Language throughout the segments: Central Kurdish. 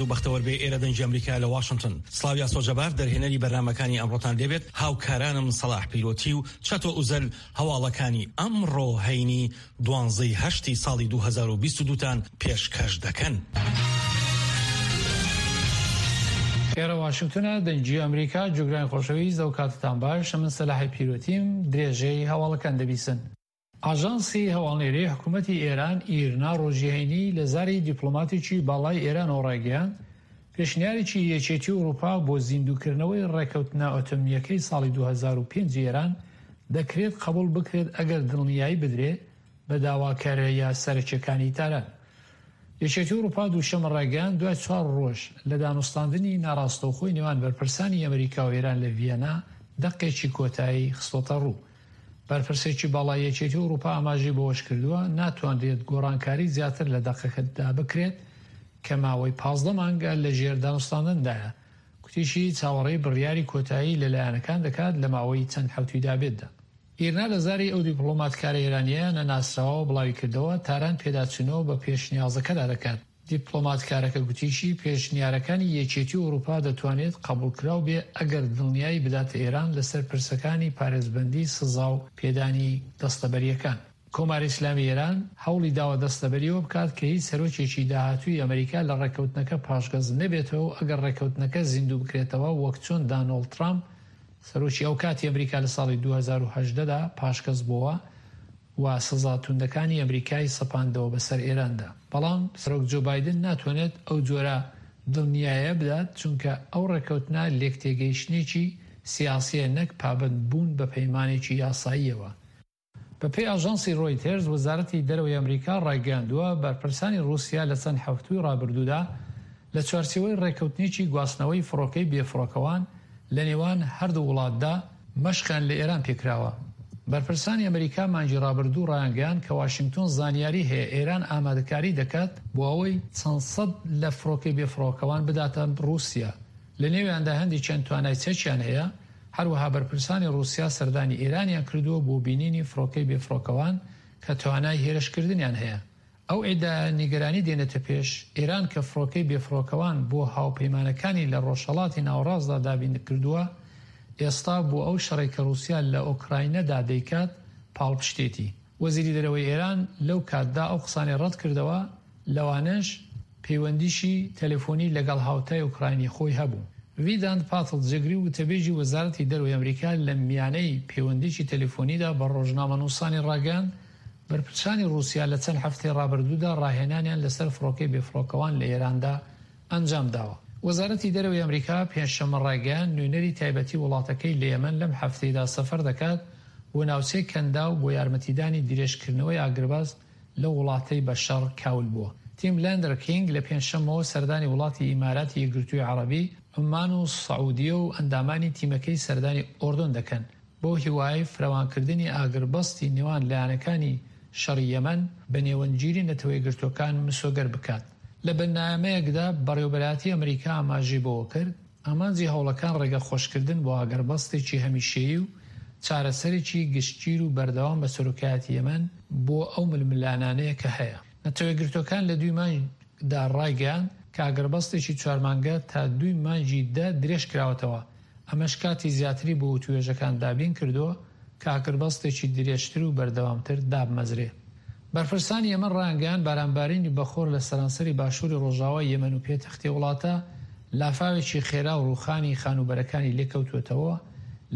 و بەختەوەر بێ ئێرە دەنگی ئەمریکا لە واشنتن سڵاو یاسۆ جەبار دەرهێنەری بەرنامەکانی ئەمڕۆتان لێبێت هاوکارانم سەڵاح پیرۆتی و چەتۆ ئوزەل هەواڵەکانی ئەمڕۆ هەینی دوانزەی هەشتی ساڵی 2022 تان پێشکەش دەکەن. ئێرە واشنگتنە دەنگی ئەمریکا جوگرانی خۆشەویست ئەو کاتتان باش من سەلاحی پیرۆتیم درێژەی هەواڵەکان دەبیسن. ئاژانسی هەواڵنێری حکوومەتی ئێران ئیرنا ڕۆژی هەینی لە زاری دیپلۆماتێکی باڵای ئێرانەوە ڕایگەیاند، پێشنیارێکی یەکێتی ئەوروپا بۆ زیندووکردنەوەی ڕێککەوتنە ئەتۆمییەکەی ساڵی 2005 ئێران دەکرێت قبوڵ بکرێت ئەگەر دڵنیایی بدرێ بە داواکارییە سەرەکییەکانی تاران. یەکێتی ئەوروپا دووشەممە ڕایگەیاند، دوای چوار ڕۆژ لە دانوستاندنی ناڕاستەوخۆی نێوان بەرپرسانی ئەمریکا و ئێران لە ڤیەنا دەقێکی کۆتایی خستۆتەڕوو. بەرپرسێکی باڵای یەکێتی ئەوروپا ئاماژەی بەوەشکردووە، ناتوانرێت گۆڕانکاری زیاتر لە دەقەکەدا بکرێت کە ماوەی 15 مانگە لەژێر دانوستاندندایە، گوتیشی چاوەڕێی بڕیاری کۆتایی لە لایەنەکان دەکات لە ماوەی چەند حەوتووی دابێتدا. ئیرنا لە زاری ئەو دیپڵۆماتکارە ئێرانییە نەناسراوەوە بڵاویکردەوە، تاران پێداچوونەوە بە پێشنیازەکەدا دەکات. دیپڵۆماتکارەکە گوتیشی، پێشنیارەکانی یەکێتی ئەوروپا دەتوانێت قەبوڵکراو بێ ئەگەر دڵنیایی بداتە ئێران لەسەر پرسەکانی پارێزبەندی سزا و پێدانی دەستەبەرییەکان. کۆماری ئیسلامی ئێران هەوڵی داوە دەستەبەری ئەوە بکات کە هیچ سەرۆکێکی داهاتووی ئەمریکا لە ڕێککەوتنەکە پاشگەز نەبێتەوە و ئەگەر ڕێککەوتنەکە زیندوو بکرێتەوە وەک چۆن دانۆڵد ترامپ سەرۆکی ئەوکاتی ئەمریکا لە ساڵی 2018 دا پاشگەز بۆوە و سزا توندەکانی ئەمریکای سەپاندەوە بەسەر ئێراندا. بەڵام سەرۆک جۆ بایدن ناتوانێت ئەو جۆرە دڵنیایە بدات چونکە ئەو ڕێککەوتنە لێکتێگەیشتنێکی سیاسیە نەک پابەندبوون بە پەیمانێکی یاساییەوە. بەپێی ئاژانسی ڕۆیتێرز، وەزارەتی دەرەوەی ئەمریکا ڕایگەیاندووە، بەرپرسانی ڕووسیا لە چەند حەفتووی ڕابردوودا لە چوارچێوەی ڕێککەوتنێکی گواستنەوەی فڕۆکەی بێفڕۆکەوان لە نێوان هەردوو وڵاتدا، مەشقیان لە ئێران پێکراوە. بەرپرسانی ئەمریکا مانگی ڕابردوو ڕایانگەیاند کە واشینگتۆن زانیاری هەیە ئێران ئامادەکاری دەکات بۆ ئەوەی چەند سەد لە فڕۆکەی بێفڕۆکەوان بداتە ڕووسیا، لە نێویاندا هەندێکیان توانای چەکیان هەیە، هەروەها بەرپرسانی ڕووسیا سەردانی ئێرانیان کردووە بۆ بینینی فڕۆکەی بێفڕۆکەوان کە توانای هێرشکردنیان هەیە. ئەو ئیدعایە نیگەرانی دێنێتە پێش، ئێران کە فڕۆکەی بێفڕۆکەوان بۆ هاوپەیمانەکانی لە ڕۆژهەڵاتی ناوەڕاستدا دابین کردووە، ئێستا بۆ ئەو شەڕەی کە ڕووسیا لە ئۆکراینەدا دەیکات پاڵپشتێتی. وەزیری دەرەوەی ئێران لەو کاتدا ئەو قسانەی ڕەت کردەوە، لەوانەش پەیوەندیی تەلەفۆنی لەگەڵ هاوتای ئۆکراینی خۆی هەبوو. ڤیدانت پاتڵ جێگری وتەبێژی وەزارەتی دەرەوەی ئەمریکا لە میانەی پەیوەندیی تەلەفۆنیدا بە ڕۆژنامەنووسانی ڕاگەیاند، بەرپرسانی ڕووسیا لە چەند هەفتەی ڕابردوودا ڕاهێنانیان لەسەر فڕۆکەی بێفڕۆکەوان لە ئێراندا ئەنجام داوە. وەزارەتی دەرەوەی ئەمریکا پێنجشەممە ڕایگەیاند، نوێنەری تایبەتی وڵاتەکەی لە یەمەن لەم هەفتەیدا سەفەر دەکات بۆ ناوچەی کەنداو بۆ یارمەتیدانی درێژکردنەوەی ئاگربەست لەو وڵاتەی بە شەڕ کاول بووە. تیم لەندەرکینگ لە پێنجشەممەوە سەردانی وڵاتی ئیماراتی یەکگرتووی عەڕەبی، عومان و سعودیە و ئەندامانی تیمەکەی سەردانی ئۆردۆن دەکەن. بەو هیوایەی فراوانکردنی ئاگربەستی نێوان لایەنەکانی شەڕی یەمەن بە نێوەندگیری نەتەوەیەکگرتووەکان مسۆگەر بکات. لە بەنامەیەکدا بەڕێوەبەرایەتی ئەمریکا ئاماژەی بەوەکرد، ئامانجی هەوڵەکان ڕێگە خۆشکردن بۆ ئاگربەستێکی هەمیشەیی و چارەسەرێکی گشتگیر و بەردەوام بە سەرۆکایەتی یەمەن بۆ ئەو ململانانەیە کە هەیە. نەتەوەیەکگرتووەکان لە دووی مانگدا ڕایگەیاند کە ئاگربەستێکی چوار مانگە تا دووی مانگی دە درێژکراوەتەوە، ئەمەش کاتی زیاتری بۆ وتووێژەکان دابین کردووە کە ئاگربەستێکی درێژتر و بەردەوامتر دابمەزرێ. بەرپرسانی یەمەن ڕایانگەیاند بارانبارینی بەخۆر لە سەرانسەری باشووری ڕۆژاوای یەمەن و پێتەختی وڵاتە لافاوێکی خێرا و ڕووخانی خانووبەرەکانی لێکەوتووەتەوە،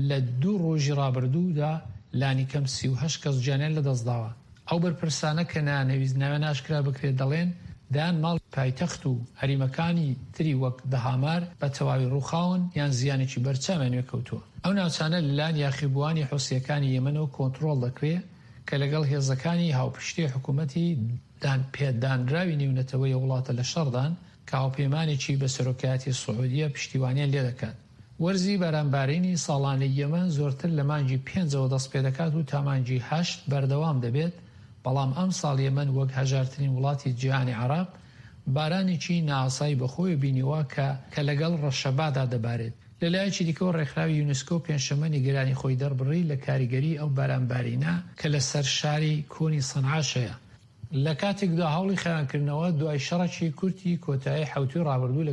لە دوو ڕۆژی ڕابردوودا لانیکەم 38 کەس گیانیان لەدەستداوە. ئەو بەرپرسانە کە نایانەویست ناویان ئاشکرا بکرێت دەڵێن، دەیان ماڵی پایتەخت و هەریمەکانی تری وەک دەهامار بە تەواوی ڕووخاون یان زیانێکی بەرچاویان وێکەوتووە. ئەو ناوچانە لەلایەن یاخیبووانی حوسییەکانی یەمەنەوە کۆنتڕۆڵ دەکرێ کە لەگەڵ هێزەکانی هاوپشتی حکوومەتی دانپێدانراوی نێونەتەوەی ئەو وڵاتە لە شەڕدان کە هاوپەیمانێکی بە سەرۆکایەتی سعودیە پشتیوانیان لێدەکات. وەرزی بارانبارینی ساڵانەی یەمەن زۆرتر لە مانگی پێنجەوە دەستپێدەکات و تا مانگی هەشت بەردەوام دەبێت، بەڵام ئەمساڵ یەمەن وەک هەژارترین وڵاتی جیهانی عەڕەب بارانێکی نائاسایی بەخۆیەوە بینیوە کە کە لەگەڵ ڕەشەبادا دەبارێت. لەلایەکی دیکەوە ڕێکخراوی یونسکۆ پێنجشەممە نیگەرانی خۆی دەربڕی لە کاریگەری ئەو بارانبارینە کە لەسەر شاری کۆنی سەنعاش هەیە، لە کاتێکدا هەوڵی خاوێنکردنەوە دوای شەڕێکی کورتی کۆتایی حەوتووی ڕابردوو لە.